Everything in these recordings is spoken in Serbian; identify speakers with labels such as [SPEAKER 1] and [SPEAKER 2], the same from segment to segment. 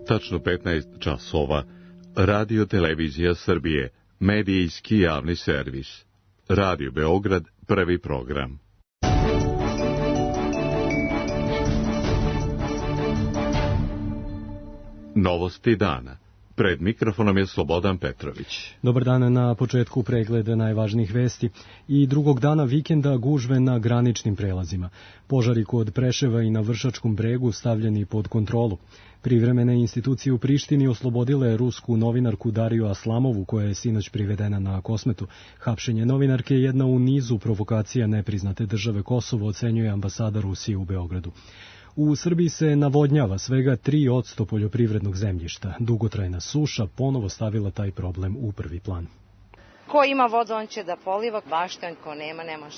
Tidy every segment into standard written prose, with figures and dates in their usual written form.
[SPEAKER 1] tačno 15 časova. Radio Televizija Srbije, medijski javni servis. Radio Beograd, prvi program. Novosti dana. Pred mikrofonom je Slobodan Petrović.
[SPEAKER 2] Dobar dan, na početku pregleda najvažnijih vesti. I drugog dana vikenda gužve na graničnim prelazima. Požari kod Preševa i na Vršačkom bregu stavljeni pod kontrolu. Privremene institucije u Prištini oslobodile rusku novinarku Dariju Aslamovu, koja je sinoć privedena na Kosmetu. Hapšenje novinarke je jedna u nizu provokacija nepriznate države Kosovo, ocenjuje ambasada Rusije u Beogradu. U Srbiji se navodnjava svega 3% poljoprivrednog zemljišta. Dugotrajna suša ponovo stavila taj problem u prvi plan.
[SPEAKER 3] Ko ima vodu, on će da poliva, bašten, ko nema, ne može.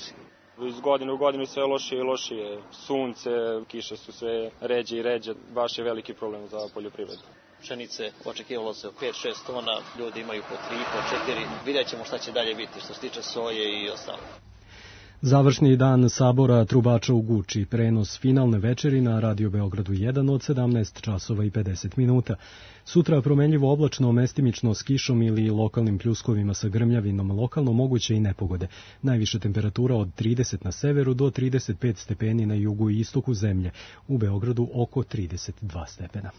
[SPEAKER 4] Iz godine u godinu sve lošije i lošije. Sunce, kiše su sve ređe i ređe, baš je veliki problem za poljoprivredu.
[SPEAKER 5] Pšenice očekivalo se 5-6 tona, ljudi imaju po 3, po 4. Vidjet ćemo šta će dalje biti što se tiče soje i ostalo.
[SPEAKER 2] Završni dan sabora trubača u Guči, prenos finalne večeri na Radio Beogradu 1 od 17 časova i 50 minuta. Sutra promenljivo oblačno, mestimično s kišom ili lokalnim pljuskovima sa grmljavinom, lokalno moguće i nepogode. Najviša temperatura od 30 na severu do 35 stepeni na jugu i istoku zemlje. U Beogradu oko 32 stepena.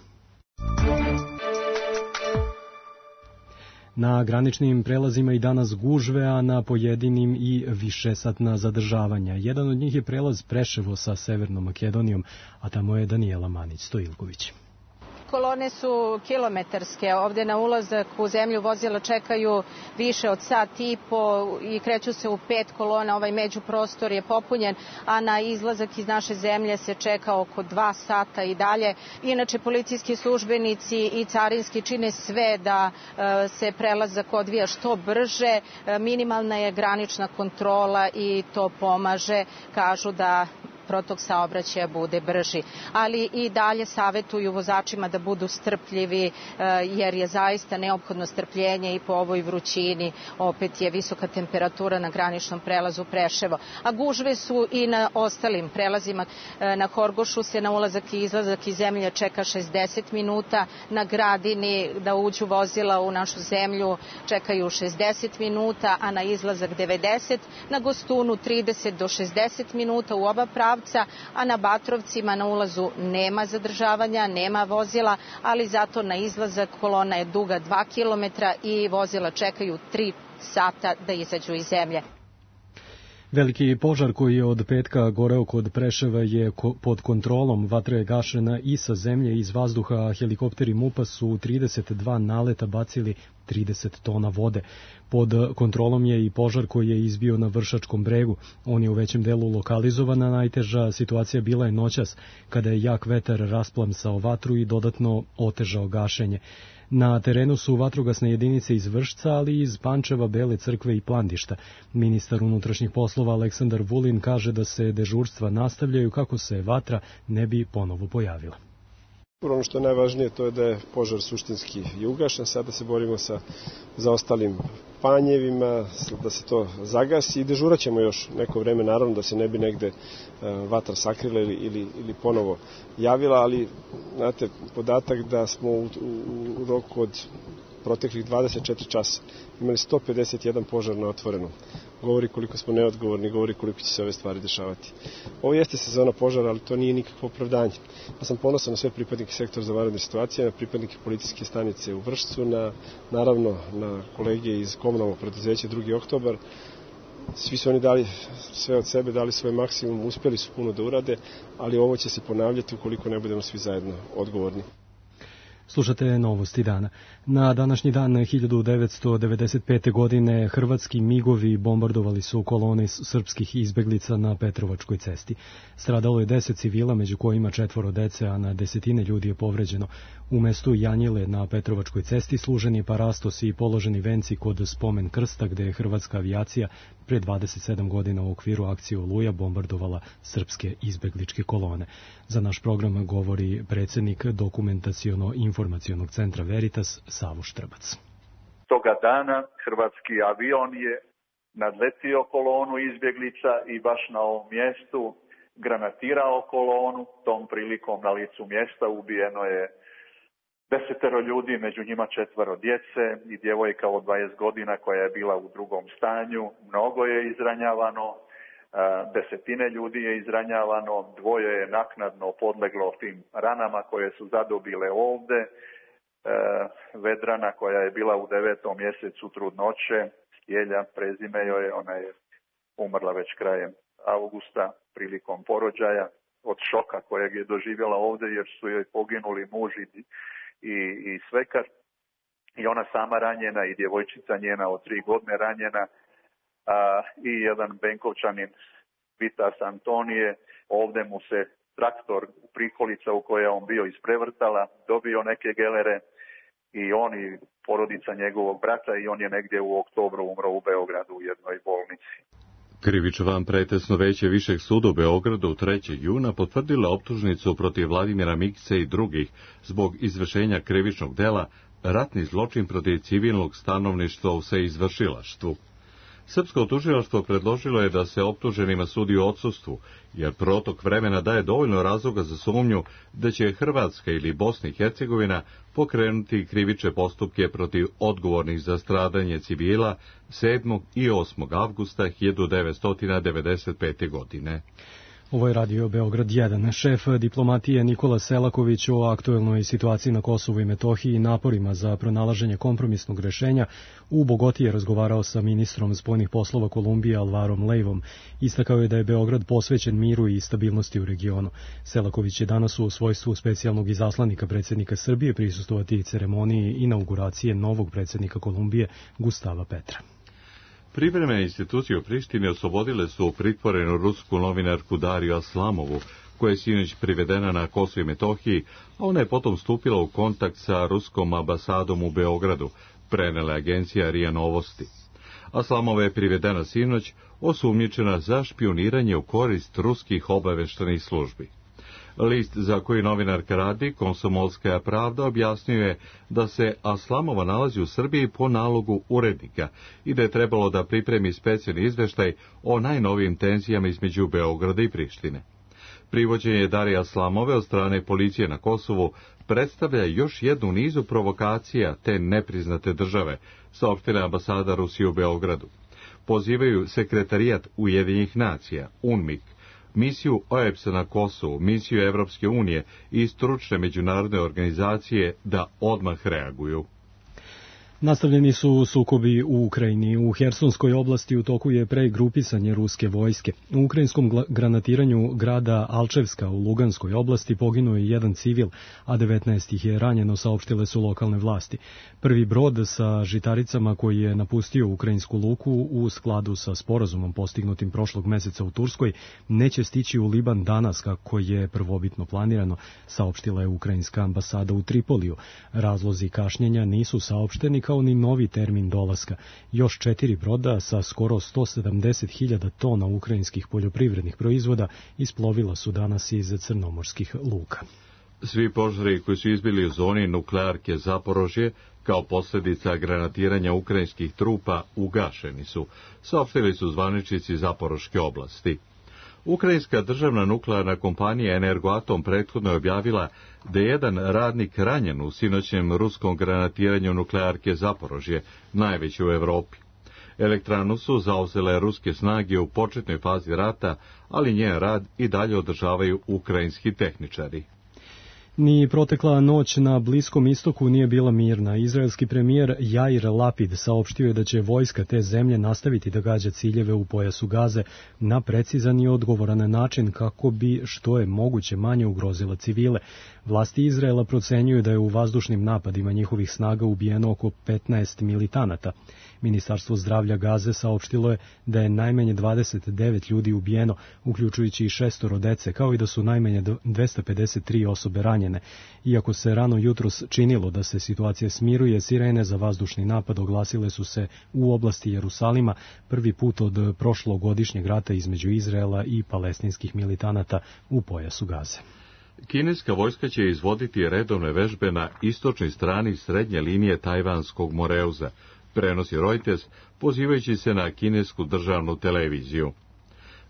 [SPEAKER 2] Na graničnim prelazima i danas gužve, a na pojedinim i višesatna zadržavanja. Jedan od njih je prelaz Preševo sa Severnom Makedonijom, a tamo je Danijela Manić-Stojilković.
[SPEAKER 3] Kolone su kilometarske. Ovde na ulazak u zemlju vozila čekaju više od sat i po i kreću se u 5 kolona. Ovaj međuprostor je popunjen, a na izlazak iz naše zemlje se čeka oko 2 sata i dalje. Inače, policijski službenici i carinski čine sve da se prelazak odvija što brže. Minimalna je granična kontrola i to pomaže. Kažu da protok saobraćaja bude brži. Ali i dalje savetuju vozačima da budu strpljivi, jer je zaista neophodno strpljenje i po ovoj vrućini. Opet je visoka temperatura na graničnom prelazu Preševo. A gužve su i na ostalim prelazima. Na Horgošu se na ulazak i izlazak iz zemlje čeka 60 minuta. Na Gradini da uđu vozila u našu zemlju čekaju 60 minuta, a na izlazak 90. Na Gostunu 30 do 60 minuta u oba prava, a na Batrovcima na ulazu nema zadržavanja, nema vozila, ali zato na izlazak kolona je duga 2 km i vozila čekaju 3 sata da izađu iz zemlje.
[SPEAKER 2] Veliki požar koji je od petka goreo kod Preševa je pod kontrolom. Vatra je gašena i sa zemlje i iz vazduha. Helikopteri MUP-a su 32 naleta bacili 30 tona vode. Pod kontrolom je i požar koji je izbio na Vršačkom bregu. On je u većem delu lokalizovan, a najteža situacija bila je noćas, kada je jak vetar rasplamsao vatru i dodatno otežao gašenje. Na terenu su vatrogasne jedinice iz Vršca, ali i iz Pančeva, Bele Crkve i Plandišta. Ministar unutrašnjih poslova Aleksandar Vulin kaže da se dežurstva nastavljaju kako se vatra ne bi ponovo pojavila.
[SPEAKER 6] Ono što je najvažnije to je da je požar suštinski i ugašen. Sada se borimo sa zaostalim panjevima, da se to zagasi i dežurat ćemo još neko vreme, naravno da se ne bi negde vatra sakrila ili ponovo javila, ali znate, podatak da smo u roku od proteklih 24 časa imali 151 požar na otvorenom. Govori koliko smo neodgovorni, govori koliko će se ove stvari dešavati. Ovo jeste sezona požara, ali to nije nikakvo opravdanje. Ja sam ponosan na sve pripadnike sektora za vanredne situacije, na pripadnike policijske stanice u Vršcu, naravno na kolege iz komunalnog preduzeća 2. oktobar. Svi su oni dali sve od sebe, dali svoj maksimum, uspjeli su puno da urade, ali ovo će se ponavljati ukoliko ne budemo svi zajedno odgovorni.
[SPEAKER 2] Slušate novosti dana. Na današnji dan 1995. godine hrvatski migovi bombardovali su kolone srpskih izbeglica na Petrovačkoj cesti. Stradalo je 10 civila, među kojima 4 dece, a na desetine ljudi je povređeno. U mestu Janjile na Petrovačkoj cesti služen je parastos i položeni venci kod spomen krsta, gde je hrvatska avijacija pre 27 godina u okviru akcije Oluja bombardovala srpske izbegličke kolone. Za naš program govori predsjednik Dokumentaciono-informacionog centra Veritas Savo Štrbac.
[SPEAKER 7] Toga dana hrvatski avion je nadletio kolonu izbjeglica i baš na ovom mjestu granatirao kolonu. Tom prilikom na licu mjesta ubijeno je 10 ljudi, među njima 4 djece i djevojka od 20 godina koja je bila u drugom stanju. Mnogo je izranjavano, desetine ljudi je izranjavano, 2 je naknadno podleglo tim ranama koje su zadobile ovde. Vedrana koja je bila u 9. mjesecu trudnoće, Stjelja, prezime joj je, ona je umrla već krajem avgusta prilikom porođaja od šoka kojeg je doživjela ovde jer su joj poginuli muž i svekar. I ona sama ranjena i djevojčica njena od 3 godine ranjena i jedan Benkovčanin Vitas Antonije, ovde mu se traktor prikolica u kojoj je on bio isprevrtala, dobio neke gelere i on i porodica njegovog brata i on je negdje u oktobru umro u Beogradu u jednoj bolnici.
[SPEAKER 1] Krivičan pretesno veće Višeg suda u Beogradu 3. juna potvrdila optužnicu protiv Vladimira Mikice i drugih zbog izvršenja krivičnog dela ratni zločin protiv civilnog stanovništva u seizvršilaštvu. Srpsko tužilaštvo predložilo je da se optuženima sudi u odsustvu, jer protok vremena daje dovoljno razloga za sumnju da će Hrvatska ili Bosna i Hercegovina pokrenuti krivične postupke protiv odgovornih za stradanje civila 7. i 8. avgusta 1995. godine.
[SPEAKER 2] Ovo je radio Beograd 1. Šef diplomatije Nikola Selaković o aktuelnoj situaciji na Kosovu i Metohiji i naporima za pronalaženje kompromisnog rešenja u Bogoti je razgovarao sa ministrom spoljnih poslova Kolumbije Alvarom Leivom. Istakao je da je Beograd posvećen miru i stabilnosti u regionu. Selaković je danas u svojstvu specijalnog izaslanika predsjednika Srbije prisustvovati ceremoniji inauguracije novog predsjednika Kolumbije Gustava Petra.
[SPEAKER 1] Privremene institucije u Prištini oslobodile su pritvorenu rusku novinarku Dariju Aslamovu, koja je sinoć privedena na Kosovo i Metohiji, a ona je potom stupila u kontakt sa ruskom ambasadom u Beogradu, prenela agencija RIA Novosti. Aslamova je privedena sinoć, osumnjičena za špijuniranje u korist ruskih obaveštajnih službi. List za koji novinarka radi, Komsomolskaja pravda, objasnio je da se Aslamova nalazi u Srbiji po nalogu urednika i da je trebalo da pripremi specijalni izveštaj o najnovijim tenzijama između Beograda i Prištine. Privođenje Darije Aslamove od strane policije na Kosovu predstavlja još jednu nizu provokacija te nepriznate države, saopštila ambasada Rusije u Beogradu. Pozivaju Sekretarijat Ujedinjenih nacija, UNMIK, misiju OEBS-a na Kosovu, misiju Evropske unije i stručne međunarodne organizacije da odmah reaguju.
[SPEAKER 2] Nastavljeni su sukobi u Ukrajini. U Hersonskoj oblasti u toku je pregrupisanje ruske vojske. U ukrajinskom granatiranju grada Alčevska u Luganskoj oblasti poginuo je 1 civil, a 19 ih je ranjeno, saopštile su lokalne vlasti. Prvi brod sa žitaricama koji je napustio ukrajinsku luku u skladu sa sporazumom postignutim prošlog meseca u Turskoj neće stići u Liban danas kako je prvobitno planirano, saopštila je ukrajinska ambasada u Tripoliju. Razlozi kašnjenja nisu saopšteni kao ni novi termin dolaska. Još 4 broda sa skoro 170.000 tona ukrajinskih poljoprivrednih proizvoda isplovila su danas iz crnomorskih luka.
[SPEAKER 1] Svi požari koji su izbili u zoni nuklearke Zaporožje kao posljedica granatiranja ukrajinskih trupa ugašeni su, saopštili su zvaničnici Zaporoške oblasti. Ukrajinska državna nuklearna kompanija Energoatom prethodno je objavila da je jedan radnik ranjen u sinoćnjem ruskom granatiranju nuklearke Zaporožje, najveće u Evropi. Elektranu su zauzele ruske snage u početnoj fazi rata, ali njen rad i dalje održavaju ukrajinski tehničari.
[SPEAKER 2] Ni protekla noć na Bliskom istoku nije bila mirna. Izraelski premijer Jair Lapid saopštio je da će vojska te zemlje nastaviti da gađa ciljeve u pojasu Gaze na precizan i odgovoran način kako bi što je moguće manje ugrozila civile. Vlasti Izraela procenjuju da je u vazdušnim napadima njihovih snaga ubijeno oko 15 militanata. Ministarstvo zdravlja Gaze saopštilo je da je najmanje 29 ljudi ubijeno, uključujući i 6 dece, kao i da su najmanje 253 osobe ranjene. Iako se rano jutros činilo da se situacija smiruje, sirene za vazdušni napad oglasile su se u oblasti Jerusalima prvi put od prošlogodišnjeg rata između Izraela i palestinskih militanata u pojasu Gaze.
[SPEAKER 1] Kineska vojska će izvoditi redovne vežbe na istočnoj strani srednje linije Tajvanskog Moreuza, prenosi Reuters, pozivajući se na kinesku državnu televiziju.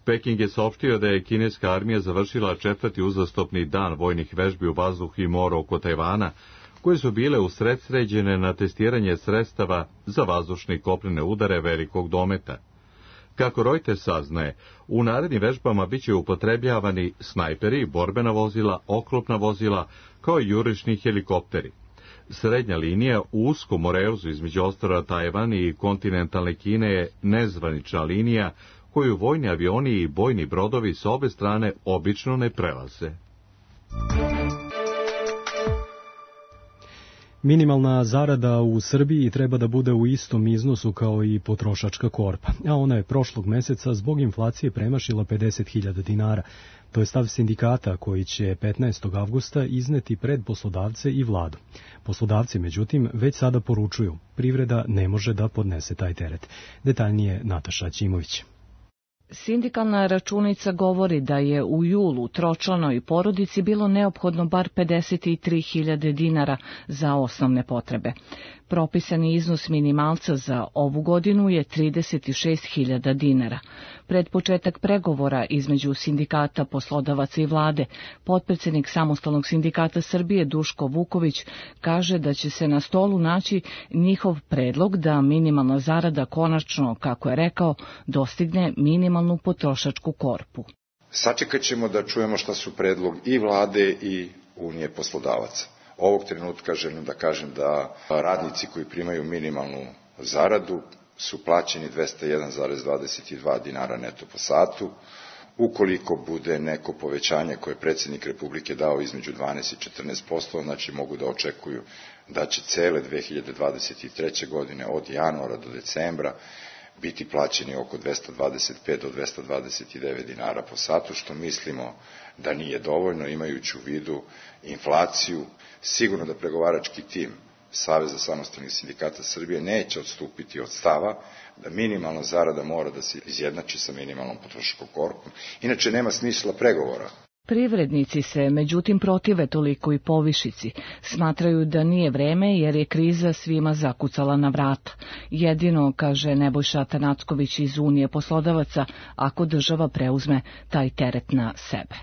[SPEAKER 1] Peking je saopštio da je kineska armija završila 4. uzastopni dan vojnih vežbi u vazduhu i moru oko Tajvana, koje su bile usredsređene na testiranje sredstava za vazdušne i kopnene udare velikog dometa. Kako Reuters saznaje, u narednim vežbama biće upotrebljavani snajperi, borbena vozila, oklopna vozila, kao i jurišni helikopteri. Srednja linija u uskom moreuzu između ostrva Tajvan i kontinentalne Kine je nezvanična linija koju vojni avioni i bojni brodovi s obe strane obično ne prelaze.
[SPEAKER 2] Minimalna zarada u Srbiji treba da bude u istom iznosu kao i potrošačka korpa, a ona je prošlog meseca zbog inflacije premašila 50.000 dinara. To je stav sindikata koji će 15. avgusta izneti pred poslodavce i vladu. Poslodavci, međutim, već sada poručuju, privreda ne može da podnese taj teret. Detaljnije Nataša Ćimović.
[SPEAKER 8] Sindikalna računica govori da je u julu tročlanoj porodici bilo neophodno bar 53.000 dinara za osnovne potrebe. Propisani iznos minimalca za ovu godinu je 36.000 dinara. Pred početak pregovora između sindikata, poslodavaca i vlade, potpredsednik Samostalnog sindikata Srbije Duško Vuković kaže da će se na stolu naći njihov predlog da minimalna zarada konačno, kako je rekao, dostigne minimalnu potrošačku korpu.
[SPEAKER 9] Sačekat ćemo da čujemo šta su predlog i vlade i Unije poslodavaca. Ovog trenutka želim da kažem da radnici koji primaju minimalnu zaradu su plaćeni 201,22 dinara neto po satu. Ukoliko bude neko povećanje koje je predsjednik Republike dao između 12 i 14%, znači mogu da očekuju da će cele 2023. godine od januara do decembra biti plaćeni oko 225 do 229 dinara po satu, što mislimo da nije dovoljno, imajući u vidu inflaciju. Sigurno da pregovarački tim Saveza samostalnih sindikata Srbije neće odstupiti od stava da minimalna zarada mora da se izjednači sa minimalnom potrošačkom korpom. Inače nema smisla pregovora.
[SPEAKER 8] Privrednici se, međutim, protive toliko i povišici. Smatraju da nije vreme jer je kriza svima zakucala na vrata. Jedino, kaže Nebojša Atanacković iz Unije poslodavaca, ako država preuzme taj teret na sebe.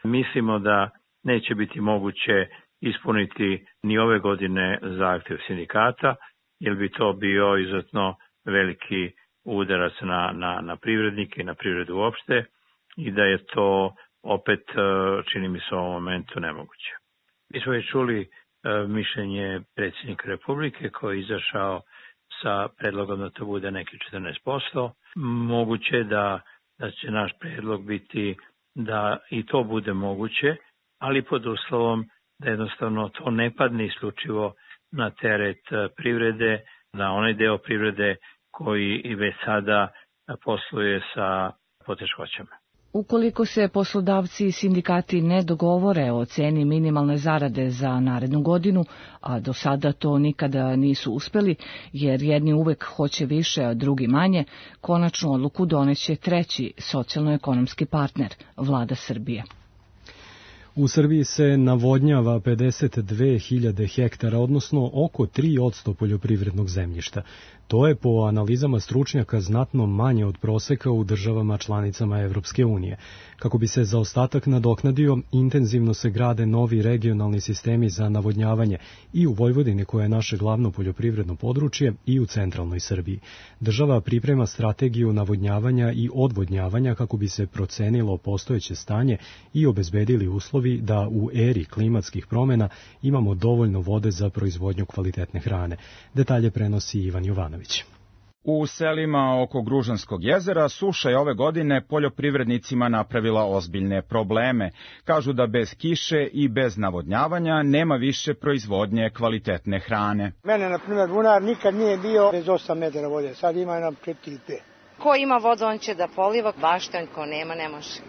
[SPEAKER 10] Mislimo da neće biti moguće ispuniti ni ove godine zahtjev sindikata, jer bi to bio izuzetno veliki udarac na privrednike i na privredu uopšte i da je to opet, čini mi se u ovom momentu, nemoguće. Mi smo već čuli mišljenje predsjednika Republike koji je izašao sa predlogom da to bude neki 14%. Moguće da će naš predlog biti da i to bude moguće, ali pod uslovom da jednostavno to ne padne isključivo na teret privrede, na onaj deo privrede koji i već sada posluje sa poteškoćama.
[SPEAKER 8] Ukoliko se poslodavci i sindikati ne dogovore o ceni minimalne zarade za narednu godinu, a do sada to nikada nisu uspeli, jer jedni uvek hoće više, a drugi manje, konačnu odluku doneće treći socijalno-ekonomski partner, Vlada Srbije.
[SPEAKER 2] U Srbiji se navodnjava 52.000 hektara, odnosno oko 3% poljoprivrednog zemljišta. To je po analizama stručnjaka znatno manje od proseka u državama članicama Evropske unije. Kako bi se zaostatak nadoknadio, intenzivno se grade novi regionalni sistemi za navodnjavanje i u Vojvodini, koje je naše glavno poljoprivredno područje, i u centralnoj Srbiji. Država priprema strategiju navodnjavanja i odvodnjavanja kako bi se procenilo postojeće stanje i obezbedili uslovi da u eri klimatskih promjena imamo dovoljno vode za proizvodnju kvalitetne hrane. Detalje prenosi Ivan Jovanović.
[SPEAKER 11] U selima oko Gružanskog jezera suša je ove godine poljoprivrednicima napravila ozbiljne probleme. Kažu da bez kiše i bez navodnjavanja nema više proizvodnje kvalitetne hrane.
[SPEAKER 12] Mene, na primjer, bunar nikad nije bio bez 8 metara vode, sad ima nam 4 ili 5.
[SPEAKER 13] Ko ima vodu, on će da poliva, bašten, ko nema, ne može.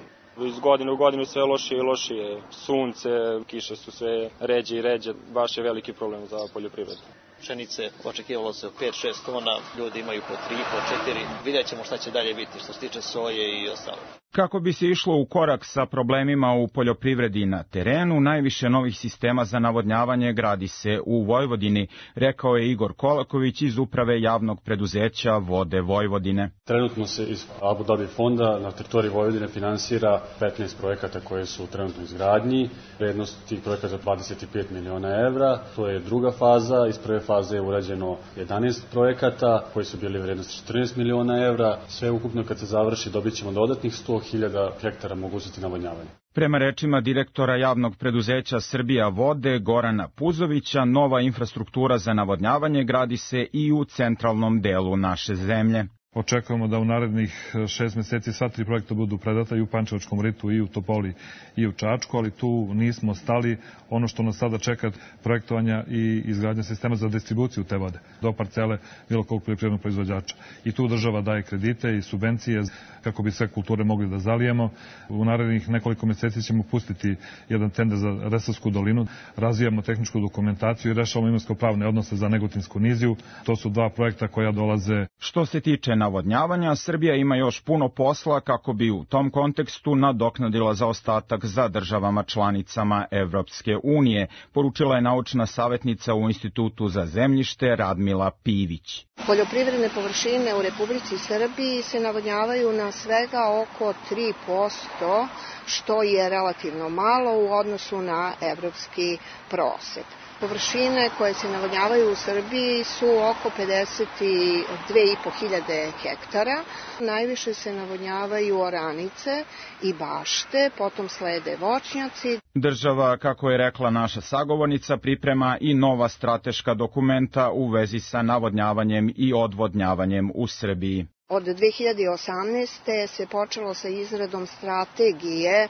[SPEAKER 4] Iz godine u godinu sve lošije i lošije. Sunce, kiše su sve ređe i ređe, baš je veliki problem za poljoprivredu.
[SPEAKER 5] Pšenice očekivalo se 5-6 tona, ljudi imaju po 3, po 4. Vidjet ćemo šta će dalje biti što se tiče soje i ostalo.
[SPEAKER 11] Kako bi se išlo u korak sa problemima u poljoprivredi na terenu, najviše novih sistema za navodnjavanje gradi se u Vojvodini, rekao je Igor Kolaković iz Uprave javnog preduzeća Vode Vojvodine.
[SPEAKER 14] Trenutno se iz Abu Dhabi fonda na teritoriji Vojvodine finansira 15 projekata koje su trenutno izgradnji. Vrednost tih projekata je 25 miliona evra. To je druga faza. Iz prve faze je urađeno 11 projekata koji su bili vrednosti 14 miliona evra. Sve ukupno kad se završi dobit ćemo dodatnih 100.000 hektara mogućnosti navodnjavanja.
[SPEAKER 11] Prema rečima direktora javnog preduzeća Srbija Vode Gorana Puzovića, nova infrastruktura za navodnjavanje gradi se i u centralnom delu naše zemlje.
[SPEAKER 15] Očekujemo da u narednih 6 meseci sva 3 projekta budu predata i u Pančevačkom ritu, i u Topoli, i u Čačku, ali tu nismo stali. Ono što nas sada čeka projektovanja i izgradnja sistema za distribuciju te vode do parcele bilo kog poljoprivrednog proizvođača. I tu država daje kredite i subvencije kako bi sve kulture mogli da zalijemo. U narednih nekoliko meseci ćemo pustiti jedan tender za Resavsku dolinu, razvijamo tehničku dokumentaciju i rešavamo imovinsko-pravne odnose za Negotinsku niziju. To su 2 projekta koja dolaze.
[SPEAKER 11] Što se tiče navodnjavanja, Srbija ima još puno posla kako bi u tom kontekstu nadoknadila zaostatak za državama članicama Evropske unije, poručila je naučna savjetnica u Institutu za zemljište Radmila Pivić.
[SPEAKER 16] Poljoprivredne površine u Republici Srbiji se navodnjavaju na svega oko 3%, što je relativno malo u odnosu na evropski prosek. Površine koje se navodnjavaju u Srbiji su oko 52.500 hektara. Najviše se navodnjavaju oranice i bašte, potom slede voćnjaci.
[SPEAKER 11] Država, kako je rekla naša sagovornica, priprema i nova strateška dokumenta u vezi sa navodnjavanjem i odvodnjavanjem u Srbiji.
[SPEAKER 16] Od 2018. se počelo sa izradom strategije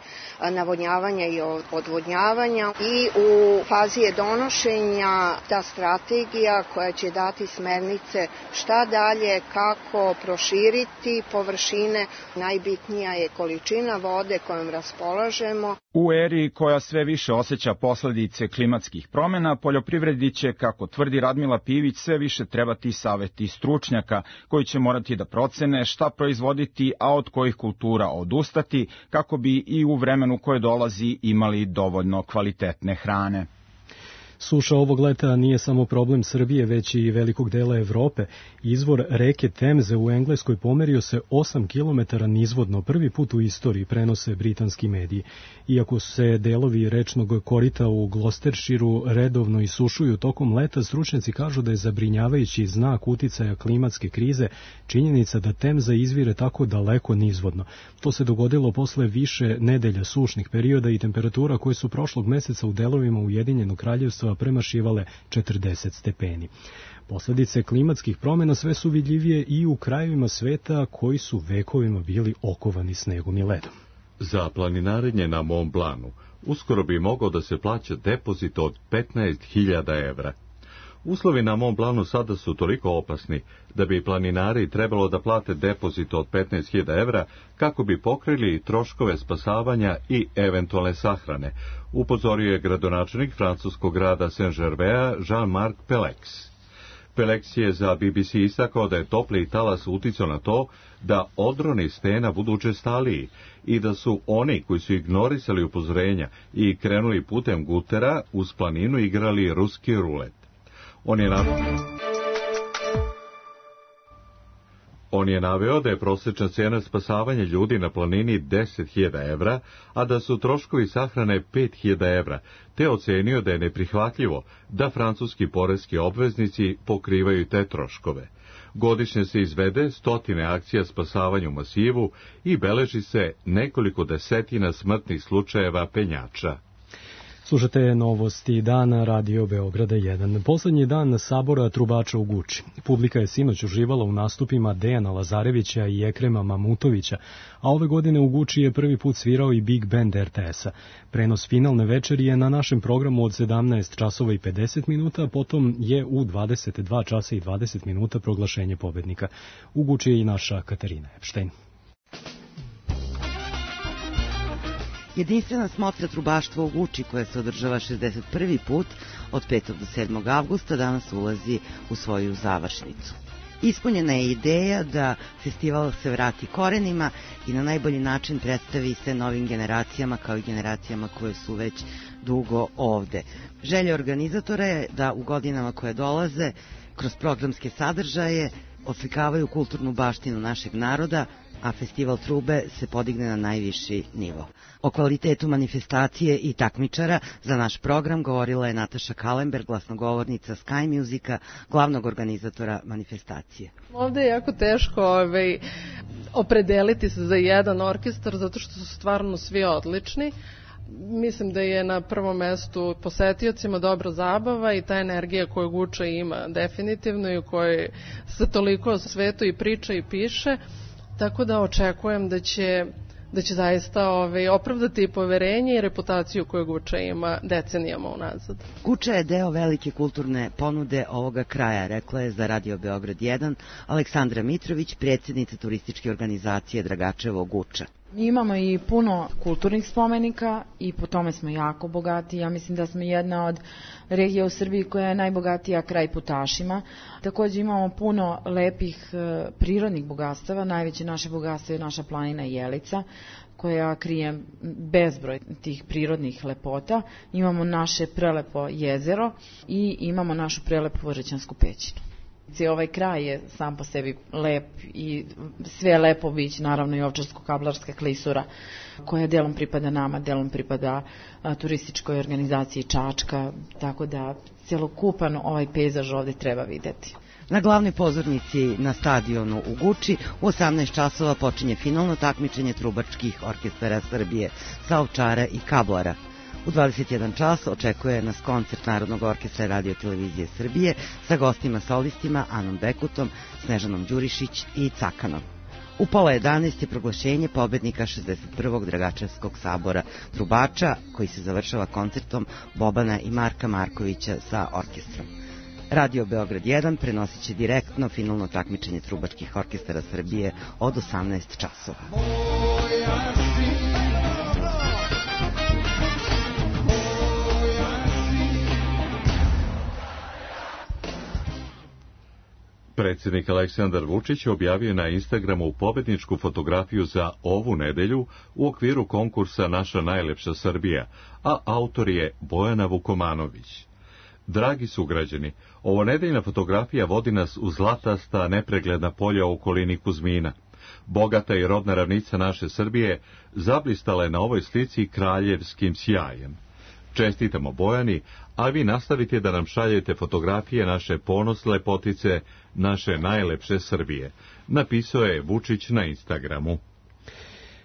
[SPEAKER 16] navodnjavanja i odvodnjavanja i u fazi je donošenja ta strategija koja će dati smernice šta dalje, kako proširiti površine. Najbitnija je količina vode kojom raspolažemo.
[SPEAKER 11] U eri koja sve više osjeća posledice klimatskih promjena, poljoprivredi će, kako tvrdi Radmila Pivić, sve više trebati saveti stručnjaka koji će morati da procene šta proizvoditi, a od kojih kultura odustati, kako bi i u vremenu koje dolazi imali dovoljno kvalitetne hrane.
[SPEAKER 2] Suša ovog leta nije samo problem Srbije, već i velikog dela Evrope. Izvor reke Temze u Engleskoj pomerio se 8 km nizvodno, prvi put u istoriji, prenose britanski mediji. Iako se delovi rečnog korita u Gloucestershiru redovno isušuju tokom leta, stručnjaci kažu da je zabrinjavajući znak uticaja klimatske krize činjenica da Temza izvire tako daleko nizvodno. To se dogodilo posle više nedelja sušnih perioda i temperatura koje su prošlog meseca u delovima Ujedinjenog kraljevstva premašivale 40 stepeni. Posledice klimatskih promjena sve su vidljivije i u krajevima sveta koji su vekovima bili okovani snegom i ledom.
[SPEAKER 1] Za planinarenje na Mont Blancu uskoro bi mogao da se plaća depozit od 15.000 evra. Uslovi na Mont Blancu sada su toliko opasni da bi planinari trebalo da plate depozit od 15.000 evra kako bi pokrili troškove spasavanja i eventualne sahrane, upozorio je gradonačelnik francuskog grada Saint-Gervais Jean-Marc Pellex. Pellex je za BBC istakao da je topli talas uticao na to da odroni stena budu učestaliji i da su oni koji su ignorisali upozorenja i krenuli putem gutera uz planinu igrali ruski rulet. On je naveo da je prosječna cena spasavanja ljudi na planini 10.000 evra, a da su troškovi sahrane 5.000 evra, te ocenio da je neprihvatljivo da francuski poreski obveznici pokrivaju te troškove. Godišnje se izvede 100 akcija spasavanja u masivu i beleži se nekoliko desetina smrtnih slučajeva penjača.
[SPEAKER 2] Slušate novosti dana Radio Beograda 1. Poslednji dan sabora trubača u Guči. Publika je sinoć uživala u nastupima Dejana Lazarevića i Ekrema Mamutovića, a ove godine u Guči je prvi put svirao i Big Band RTS-a. Prenos finalne večeri je na našem programu od 17 časova i 50 minuta, potom je u 22 časa i 20 minuta proglašenje pobednika. U Guči je i naša Katarina Epštajn.
[SPEAKER 17] Jedinstvena smotra trubaštva u Guči, koja se održava 61. put od 5. do 7. avgusta, danas ulazi u svoju završnicu. Ispunjena je ideja da festival se vrati korenima i na najbolji način predstavi se novim generacijama kao i generacijama koje su već dugo ovde. Želja organizatora je da u godinama koje dolaze kroz programske sadržaje oslikavaju kulturnu baštinu našeg naroda, a festival trube se podigne na najviši nivo. O kvalitetu manifestacije i takmičara za naš program govorila je Nataša Kalember, glasnogovornica Sky Musica, glavnog organizatora manifestacije.
[SPEAKER 18] Ovde je jako teško opredeliti se za jedan orkestar zato što su stvarno svi odlični. Mislim da je na prvom mestu posetiocima dobra zabava i ta energija koju Guča ima definitivno i u kojoj se toliko o svetu i priča i piše, tako da očekujem da će zaista opravdati poverenje i reputaciju koju Guča ima decenijama unazad.
[SPEAKER 17] Guča je deo velike kulturne ponude ovoga kraja, rekla je za Radio Beograd 1 Aleksandra Mitrović, predsjednica turističke organizacije Dragačevo Guča.
[SPEAKER 19] Mi imamo i puno kulturnih spomenika i po tome smo jako bogati. Ja mislim da smo jedna od regija u Srbiji koja je najbogatija kraj putašima. Također imamo puno lepih prirodnih bogatstava. Najveće naše bogatstvo je naša planina Jelica, koja krije bezbroj tih prirodnih lepota. Imamo naše prelepo jezero i imamo našu prelepu Vožećansku pećinu. Ovaj kraj je sam po sebi lep i sve je lepo bići, naravno i Ovčarsko-Kablarska klisura koja delom pripada nama, delom pripada turističkoj organizaciji Čačka, tako da celokupan ovaj pejzaž ovde treba videti.
[SPEAKER 17] Na glavnoj pozornici na stadionu u Guči u 18 časova počinje finalno takmičenje trubačkih orkestara Srbije sa Ovčara i Kablara. U 21 čas očekuje nas koncert Narodnog orkestra Radio Televizije Srbije sa gostima solistima Anom Bekutom, Snežanom Đurišić i Cakanom. U 10:30 je proglašenje pobednika 61. Dragačevskog sabora trubača, koji se završava koncertom Bobana i Marka Markovića sa orkestrom. Radio Beograd 1 prenosit će direktno finalno takmičenje trubačkih orkestara Srbije od 18 časova.
[SPEAKER 1] Predsjednik Aleksandar Vučić objavio na Instagramu pobedničku fotografiju za ovu nedelju u okviru konkursa Naša najlepša Srbija, a autor je Bojana Vukomanović. Dragi sugrađani, ovo nedeljna fotografija vodi nas u zlatasta nepregledna polja u okolini Kuzmina. Bogata i rodna ravnica naše Srbije zablistala je na ovoj slici kraljevskim sjajem. Čestitamo Bojani, a vi nastavite da nam šaljete fotografije naše ponos lepotice, naše najlepše Srbije. Napisao je Vučić na Instagramu.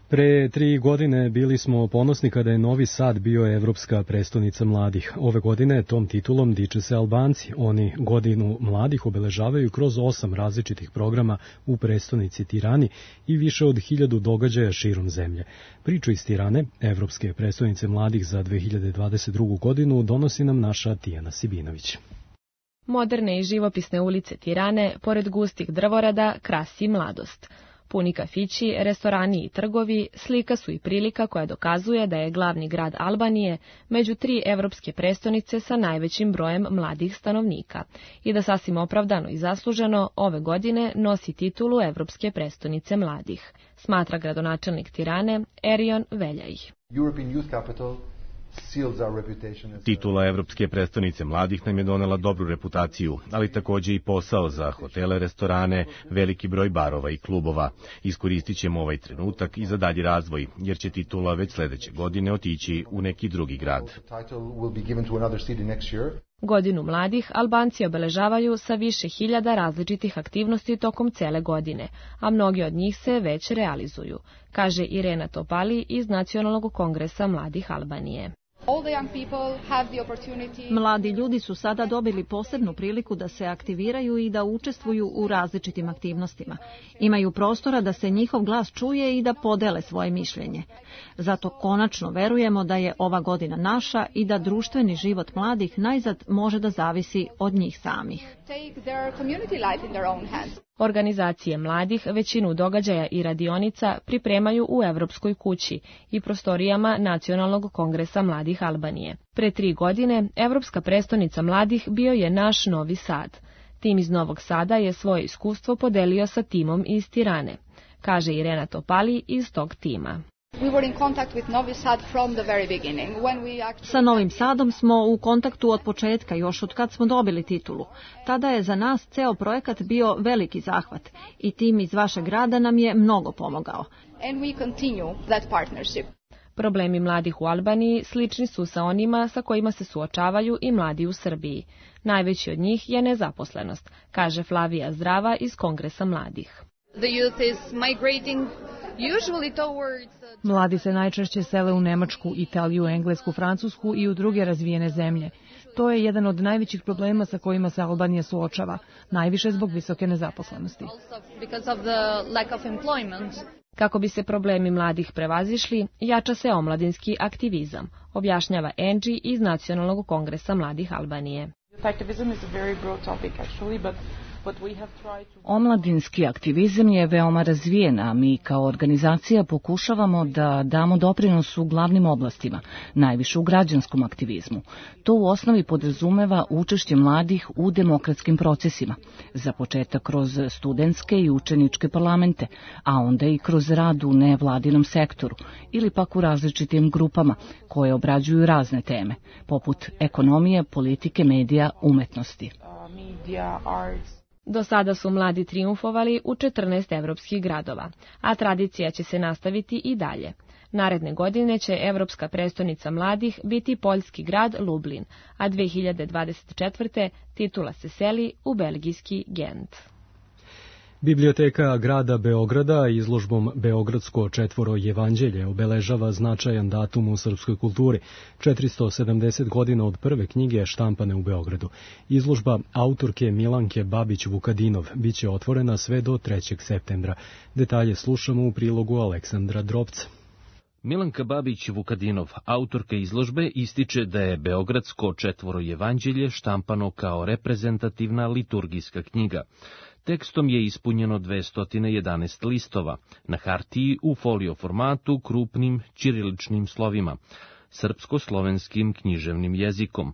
[SPEAKER 2] Pre 3 godine bili smo ponosni kada je Novi Sad bio evropska prestonica mladih. Ove godine tom titulom diče se Albanci. Oni godinu mladih obeležavaju kroz 8 različitih programa u prestonici Tirani i više od 1000 događaja širom zemlje. Priču iz Tirane, evropske prestonice mladih za 2022. godinu, donosi nam naša Tijana Sibinović.
[SPEAKER 20] Moderne i živopisne ulice Tirane, pored gustih drvorada, krasi mladost. Puni kafići, restorani i trgovi slika su i prilika koja dokazuje da je glavni grad Albanije među 3 evropske prestonice sa najvećim brojem mladih stanovnika i da sasvim opravdano i zasluženo ove godine nosi titulu Evropske prestonice mladih, smatra gradonačelnik Tirane Erion Veljaj.
[SPEAKER 21] Titula Evropske prestonice mladih nam je donela dobru reputaciju, ali također i posao za hotele, restorane, veliki broj barova i klubova. Iskoristit ćemo ovaj trenutak i za dalji razvoj, jer će titula već sledeće godine otići u neki drugi grad.
[SPEAKER 20] Godinu mladih Albanci obeležavaju sa više hiljada različitih aktivnosti tokom cele godine, a mnogi od njih se već realizuju, kaže Irena Topali iz Nacionalnog kongresa mladih Albanije.
[SPEAKER 22] Mladi ljudi su sada dobili posebnu priliku da se aktiviraju i da učestvuju u različitim aktivnostima. Imaju prostora da se njihov glas čuje i da podele svoje mišljenje. Zato konačno verujemo da je ova godina naša i da društveni život mladih najzad može da zavisi od njih samih.
[SPEAKER 20] Organizacije mladih većinu događaja i radionica pripremaju u Evropskoj kući i prostorijama Nacionalnog kongresa mladih Albanije. Pre 3 godine Evropska prestonica mladih bio je naš Novi Sad. Tim iz Novog Sada je svoje iskustvo podelio sa timom iz Tirane, kaže Irena Topali iz tog tima.
[SPEAKER 22] Sa Novim Sadom smo u kontaktu od početka, još od kad smo dobili titulu. Tada je za nas ceo projekat bio veliki zahvat i tim iz vašeg grada nam je mnogo pomogao.
[SPEAKER 20] Problemi mladih u Albaniji slični su sa onima sa kojima se suočavaju i mladi u Srbiji. Najveći od njih je nezaposlenost, kaže Flavija Zdrava iz Kongresa mladih.
[SPEAKER 3] Mladi se najčešće sele u Nemačku, Italiju, Englesku, Francusku i u druge razvijene zemlje. To je jedan od najvećih problema sa kojima se Albanija suočava, najviše zbog visoke nezaposlenosti.
[SPEAKER 20] Kako bi se problemi mladih prevazišli, jača se omladinski aktivizam, objašnjava Angie iz Nacionalnog kongresa mladih Albanije.
[SPEAKER 6] Omladinski aktivizam je veoma razvijen, a mi kao organizacija pokušavamo da damo doprinos u glavnim oblastima, najviše u građanskom aktivizmu. To u osnovi podrazumeva učešće mladih u demokratskim procesima, za početak kroz studentske i učeničke parlamente, a onda i kroz rad u nevladinom sektoru ili pak u različitim grupama koje obrađuju razne teme, poput ekonomije, politike, medija, umetnosti.
[SPEAKER 20] Do sada su mladi trijumfovali u 14 evropskih gradova, a tradicija će se nastaviti i dalje. Naredne godine će Evropska prestonica mladih biti poljski grad Lublin, a 2024. titula se seli u belgijski Gent.
[SPEAKER 2] Biblioteka grada Beograda izložbom Beogradsko četvoro jevanđelje obeležava značajan datum u srpskoj kulturi, 470 godina od prve knjige štampane u Beogradu. Izložba autorke Milanke Babić-Vukadinov biće otvorena sve do 3. septembra. Detalje slušamo u prilogu Aleksandra Drobca.
[SPEAKER 23] Milanka Babić-Vukadinov, autorka izložbe, ističe da je Beogradsko četvoro jevanđelje štampano kao reprezentativna liturgijska knjiga. Tekstom je ispunjeno 211 listova, na hartiji u folio formatu krupnim ćiriličnim slovima, srpsko-slovenskim književnim jezikom,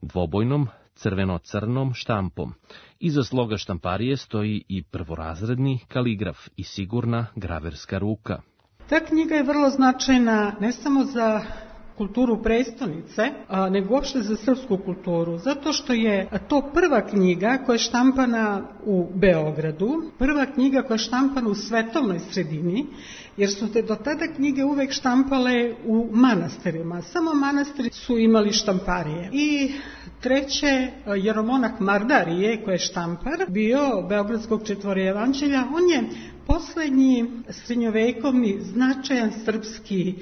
[SPEAKER 23] dvobojnom crveno-crnom štampom. Iza sloga štamparije stoji i prvorazredni kaligraf i sigurna graverska ruka.
[SPEAKER 24] Ta knjiga je vrlo značajna ne samo za kulturu prestonice, nego uopšte za srpsku kulturu, zato što je to prva knjiga koja je štampana u Beogradu, prva knjiga koja je štampana u svetovnoj sredini, jer su do tada knjige uvek štampale u manastirima. Samo manastiri su imali štamparije. I treće, jeromonah Mardarije, koji je štampar, bio Beogradskog četvoro jevanđelja, on je poslednji srednjovekovni značajan srpski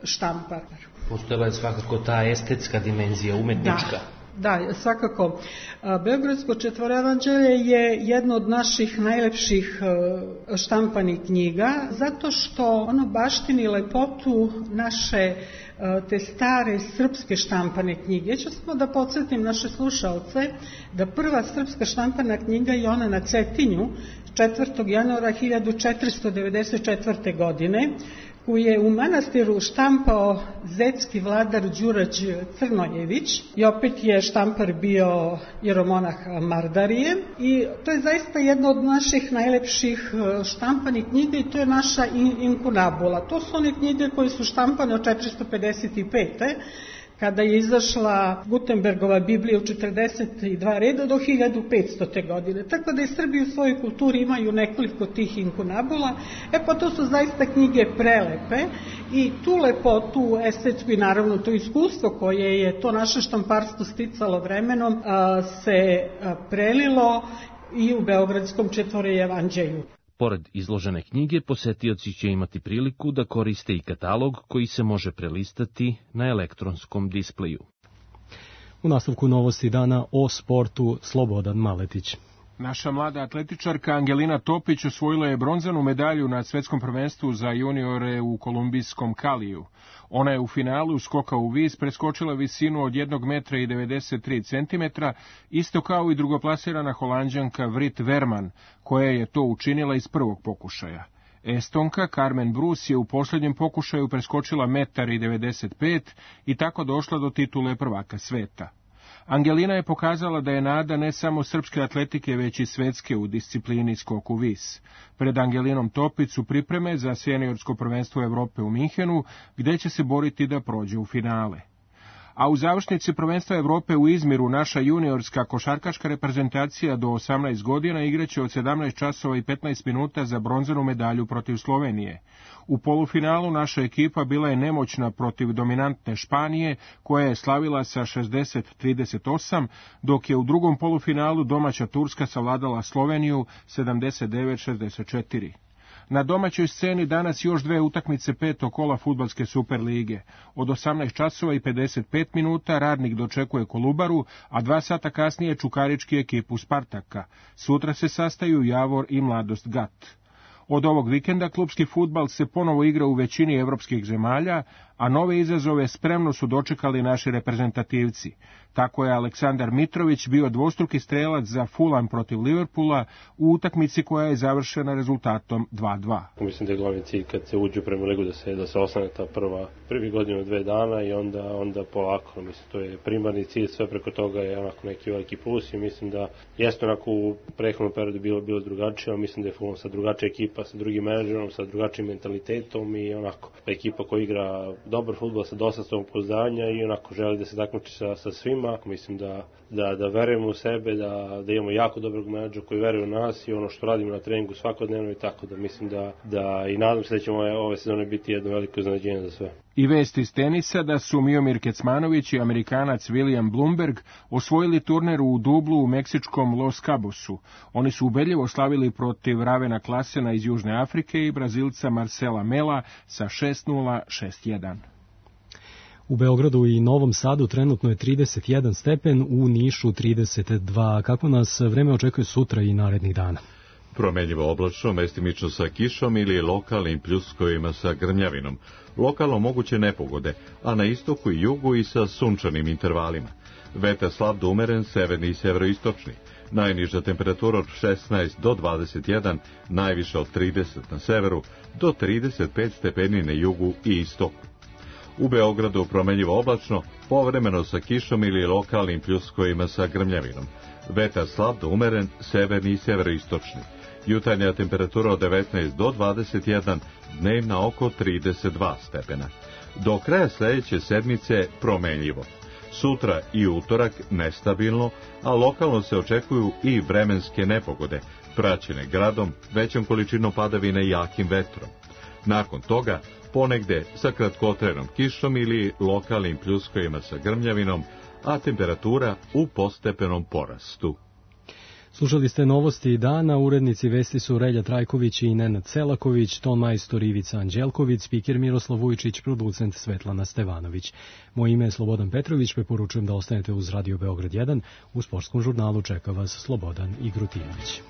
[SPEAKER 24] štampar.
[SPEAKER 25] Postojala je svakako ta estetska dimenzija, umetnička.
[SPEAKER 24] Da, svakako. Beogradsko četvoro jevanđelje je jedno od naših najlepših štampanih knjiga, zato što ono baštini lepotu naše te stare srpske štampane knjige. Ja ću samo da podsjetim naše slušalce da prva srpska štampana knjiga je ona na Cetinju 4. januara 1494. godine, koju je u manastiru štampao zetski vladar Đurađ Crnojević i opet je štampar bio jeromonah Mardarije i to je zaista jedna od naših najlepših štampanih knjiga i to je naša inkunabula. To su one knjige koje su štampane od 455. kada je izašla Gutenbergova Biblija u 42 reda do 1500. godine. Tako da i Srbi u svojoj kulturi imaju nekoliko tih inkunabula. Pa to su zaista knjige prelepe i tu lepotu, estetsku i naravno to iskustvo koje je to naše štamparstvo sticalo vremenom se prelilo i u Beogradskom četvoro jevanđelju.
[SPEAKER 23] Pored izložene knjige, posetioci će imati priliku da koriste i katalog koji se može prelistati na elektronskom displeju.
[SPEAKER 2] U nastavku novosti dana o sportu Slobodan Maletić.
[SPEAKER 26] Naša mlada atletičarka Angelina Topić osvojila je bronzanu medalju na svetskom prvenstvu za juniore u kolumbijskom Kaliju. Ona je u finalu skoka u vis preskočila visinu od 1,93 m, isto kao i drugoplasirana Holanđanka Vrit Verman, koja je to učinila iz prvog pokušaja. Estonka Carmen Bruce je u posljednjem pokušaju preskočila 1,95 m i tako došla do titule prvaka sveta. Angelina je pokazala da je nada ne samo srpske atletike, već i svetske u disciplini skok u vis. Pred Angelinom Topić su pripreme za seniorsko prvenstvo Evrope u Minhenu, gde će se boriti da prođe u finale. A u završnici prvenstva Evrope u Izmiru naša juniorska košarkaška reprezentacija do 18 godina igraće od 17 časova i 15 minuta za bronzanu medalju protiv Slovenije. U polufinalu naša ekipa bila je nemoćna protiv dominantne Španije, koja je slavila sa 60-38, dok je u drugom polufinalu domaća Turska savladala Sloveniju 79-64. Na domaćoj sceni danas još dve utakmice petog kola fudbalske Superlige. Od 18 časova i 55 minuta Radnik dočekuje Kolubaru, a 2 sata kasnije Čukarički ekipu Spartaka. Sutra se sastaju Javor i Mladost Gat. Od ovog vikenda klupski fudbal se ponovo igra u većini evropskih zemalja, a nove izazove spremno su dočekali naši reprezentativci. Tako je Aleksandar Mitrović bio dvostruki strelac za Fulham protiv Liverpoola u utakmici koja je završena rezultatom 2:2.
[SPEAKER 7] Mislim da je glavni cilj kad se uđe u Premier ligu da se ostane ta prvi godinu 2 dana i onda polako. Mislim, to je primarni cilj, sve preko toga je onako neki veliki plus i mislim da jeste onako u prethodnom periodu bilo drugačije, ali mislim da je Fulham sa drugačija ekipa, sa drugim menadžerom, sa drugačijim mentalitetom i onako ekipa koja igra dobar fudbal sa dosta samopouzdanja i onako želi da se takmiči sa svima. Mislim da verujemo u sebe, da imamo jako dobrog menadžera koji veruje u nas i ono što radimo na treningu svakodnevno i tako da mislim da i nadam se da ćemo ove sezone biti jedno veliko iznenađenje za sve.
[SPEAKER 26] I vest iz tenisa da su Miomir Kecmanović i Amerikanac William Bloomberg osvojili turnir u dublu u meksičkom Los Cabosu. Oni su ubedljivo slavili protiv Ravena Klasena iz Južne Afrike i Brazilca Marcela Mela sa 6:0, 6:1.
[SPEAKER 2] U Beogradu i Novom Sadu trenutno je 31 stepen, u Nišu 32. Kako nas vreme očekuje sutra i narednih dana?
[SPEAKER 1] Promenljivo oblačno, mestimično sa kišom ili lokalnim pljuskovima sa grmljavinom. Lokalno moguće nepogode, a na istoku i jugu i sa sunčanim intervalima. Vetar slab do umeren, severni i severoistočni. Najniža temperatura od 16 do 21, najviša od 30 na severu, do 35 stepeni na jugu i istoku. U Beogradu promenljivo oblačno, povremeno sa kišom ili lokalnim pljuskovima sa grmljavinom. Vetar slab do umeren, severni i severoistočni. Jutarnja temperatura od 19 do 21, dnevna oko 32 stepena. Do kraja sledeće sedmice promenljivo. Sutra i utorak nestabilno, a lokalno se očekuju i vremenske nepogode, praćene gradom, većom količinom padavina i jakim vetrom. Nakon toga, ponegde sa kratkotrenom kišom ili lokalnim pljuskovima sa grmljavinom, a temperatura u postepenom porastu.
[SPEAKER 2] Slušali ste novosti dana, urednici vesti su Relja Trajković i Nenad Selaković, ton majstor Ivica Anđelković, spiker Miroslav Vujčić, producent Svetlana Stevanović. Moje ime je Slobodan Petrović, preporučujem da ostanete uz Radio Beograd 1, u sportskom žurnalu čeka vas Slobodan Igrutinović.